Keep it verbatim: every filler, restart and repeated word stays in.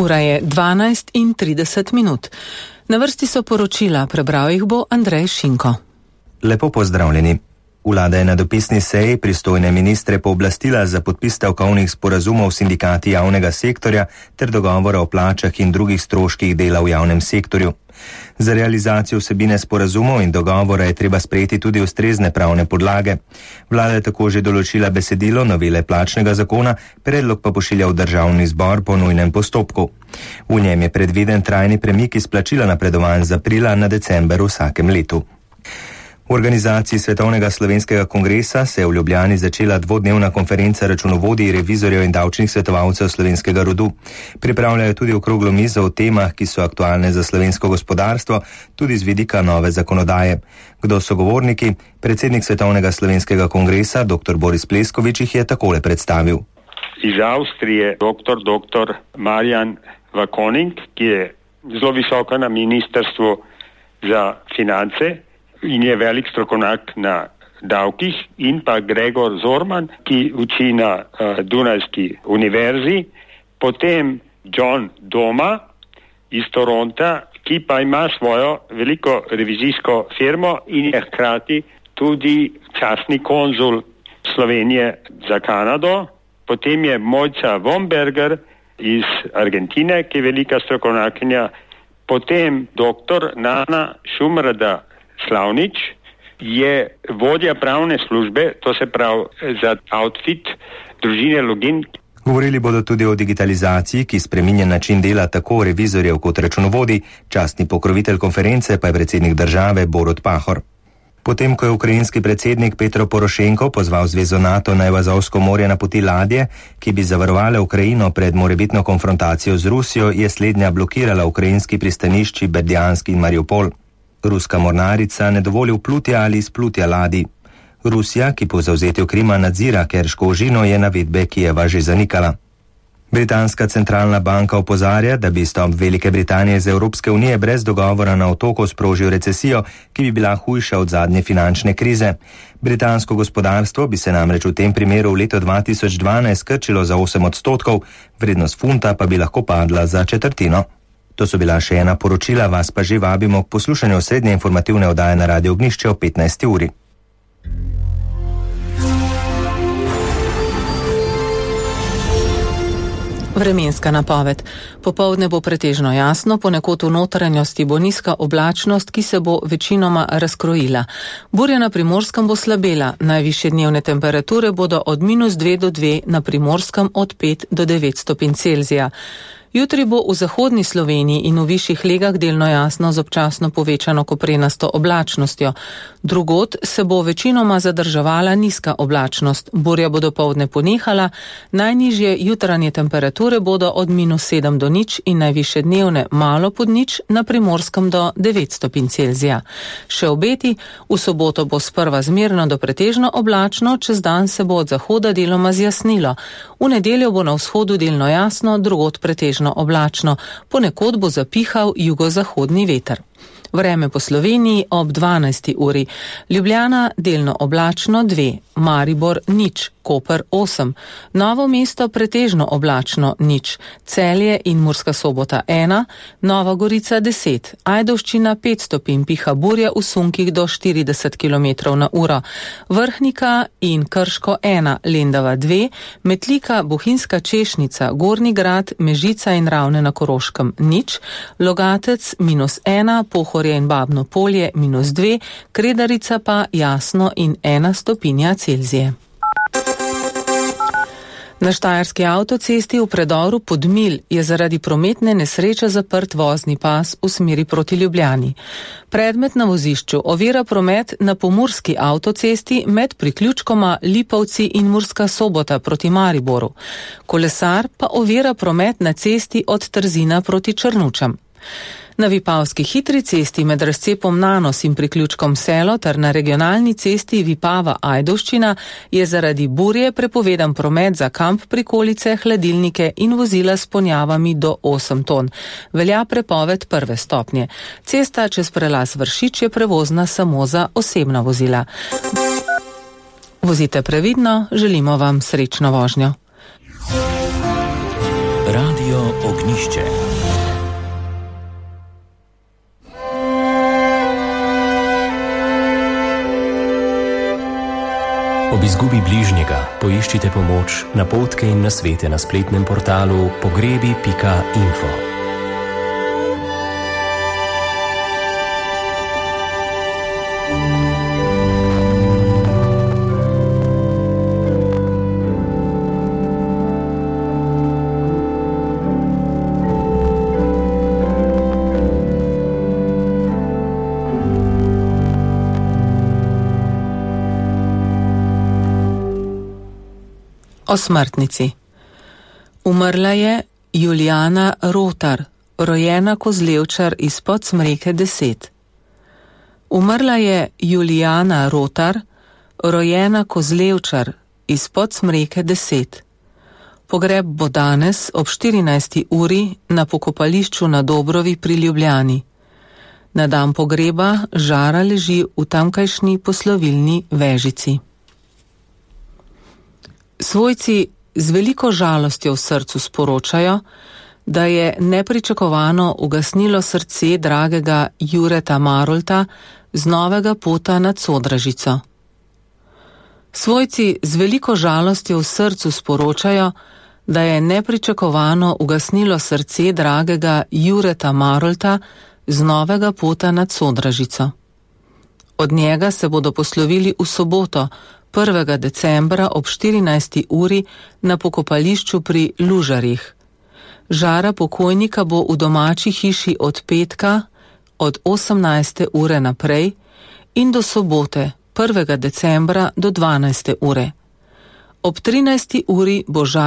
Ura je dvanajst in trideset minut. Na vrsti so poročila, prebral jih bo Andrej Šinko. Lepo pozdravljeni. Vlada je na dopisni seji pristojne ministre pooblastila za podpis stavkovnih sporazumov s sindikati javnega sektorja ter dogovora o plačah in drugih stroških dela v javnem sektorju. Za realizacijo vsebine sporazumov in dogovora je treba sprejeti tudi ustrezne pravne podlage. Vlada je tako že določila besedilo novele plačnega zakona, predlog pa pošilja v državni zbor po nujnem postopku. V njem je predviden trajni premik izplačila napredovanj z aprila na december vsakem letu. V organizaciji Svetovnega slovenskega kongresa se je v Ljubljani začela dvodnevna konferenca računovodij, revizorjev in davčnih svetovalcev slovenskega rodu. Pripravljajo tudi okroglo mizo o temah, ki so aktualne za slovensko gospodarstvo, tudi z vidika nove zakonodaje. Kdo so govorniki? Predsednik Svetovnega slovenskega kongresa, dr. Boris Pleskovič, jih je takole predstavil. Iz Avstrije doktor dr. Marjan Vakoning, ki je zelo visoko na ministrstvu za finance in je velik strokovnjak na davkih, in pa Gregor Zorman, ki uči na uh, Dunajski univerzi, potem John Doma iz Toronta, ki pa ima svojo veliko revizijsko firmo in je hkrati tudi častni konzul Slovenije za Kanado, potem je Mojca Vomberger iz Argentine, ki je velika strokovnjakinja, potem doktor Nana Šumrada Slavnič je vodja pravne službe, to se pravi za outfit družine Login. Govorili bodo tudi o digitalizaciji, ki spreminja način dela tako revizorjev kot računovodij, častni pokrovitelj konference pa je predsednik države Borut Pahor. Potem, ko je ukrajinski predsednik Petro Porošenko pozval Zvezo NATO naj v Azovsko morje napoti ladje, ki bi zavarovale Ukrajino pred morebitno konfrontacijo z Rusijo, je slednja blokirala ukrajinski pristanišči Berdjansk in Mariupol. Ruska mornarica ne dovoli vplutja ali izplutja ladij. Rusija, ki po zavzetju Krima nadzira Kerško ožino, je navedbe Kijeva že zanikala. Britanska centralna banka opozarja, da bi izstop Velike Britanije iz Evropske unije brez dogovora na otoku sprožil recesijo, ki bi bila hujša od zadnje finančne krize. Britansko gospodarstvo bi se namreč v tem primeru v letu dva tisoč dvanajst skrčilo za osem odstotkov, vrednost funta pa bi lahko padla za četrtino. To so bila še ena poročila, vas pa že vabimo k poslušanju srednje informativne oddaje na Radio Ognjišče o petnajsti uri. Vremenska napoved. Popoldne bo pretežno jasno, ponekod v notranjosti bo nizka oblačnost, ki se bo večinoma razkrojila. Burja na Primorskem bo slabela, najvišje dnevne temperature bodo od minus dve do dve, na Primorskem od pet do devet stopinj Celzija. Jutri bo v zahodni Sloveniji in v višjih legah delno jasno z občasno povečano koprenasto oblačnostjo. Drugod se bo večinoma zadrževala nizka oblačnost. Burja bo dopoldne ponehala, najnižje jutranje temperature bodo od minus sedem do nič in najvišje dnevne malo pod nič, na Primorskem do devet stopinj Celzija. Še obeti, v soboto bo sprva zmerno do pretežno oblačno, čez dan se bo od zahoda deloma zjasnilo. V nedeljo bo na vzhodu delno jasno, drugod pretežno oblačno, ponekod bo zapihal jugozahodni veter. Vreme po Sloveniji ob dvanajsti uri. Ljubljana delno oblačno dve, Maribor nič, Koper osem, Novo mesto pretežno oblačno nič, Celje in Murska Sobota ena, Nova Gorica deset, Ajdovščina pet stopinj, piha burja v sunkih do štirideset kilometrov na uro, Vrhnika in Krško ena, Lendava dve, Metlika, Bohinjska Češnica, Gornji Grad, Mežica in Ravne na Koroškem nič, Logatec minus ena, Pohorje in Babno Polje minus dve, Kredarica pa jasno in ena stopinja Celzije. Na štajerski avtocesti v predoru Podmilj je zaradi prometne nesreče zaprt vozni pas v smeri proti Ljubljani. Predmet na vozišču ovira promet na pomurski avtocesti med priključkoma Lipovci in Murska Sobota proti Mariboru. Kolesar pa ovira promet na cesti od Trzina proti Črnučam. Na Vipavski hitri cesti med razcepom Nanos in priključkom Selo ter na regionalni cesti Vipava-Ajdovščina je zaradi burje prepovedan promet za kamp prikolice, hladilnike in vozila s ponjavami do osem ton. Velja prepoved prve stopnje. Cesta čez prelaz Vršič je prevozna samo za osebna vozila. Vozite previdno, želimo vam srečno vožnjo. Radio Ognišče. Ob izgubi bližnjega poiščite pomoč, napotke in nasvete na spletnem portalu pogrebi pika info. O smrtnici. Umrla je Julijana Rotar, rojena Kozlevčar iz Podsmreke deset. Umrla je Julijana Rotar, rojena Kozlevčar iz Podsmreke deset. Pogreb bo danes ob štirinajsti uri na pokopališču na Dobrovi pri Ljubljani. Na dan pogreba žara leži v tamkajšnji poslovilni vežici. Svojci z veliko žalostjo v srcu sporočajo, da je nepričakovano ugasnilo srce dragega Jureta Marolta z Novega Pota nad Sodražico. Svojci z veliko žalostjo v srcu sporočajo, da je nepričakovano ugasnilo srce dragega Jureta Marolta z Novega Pota nad Sodražico. Od njega se bodo poslovili v soboto, prvega decembra ob štirinajsti uri na pokopališču pri Lužarjih. Žara pokojnika bo v domači hiši od petka od osemnajste ure naprej in do sobote prvega decembra do dvanajste ure. Ob trinajsti uri bo žara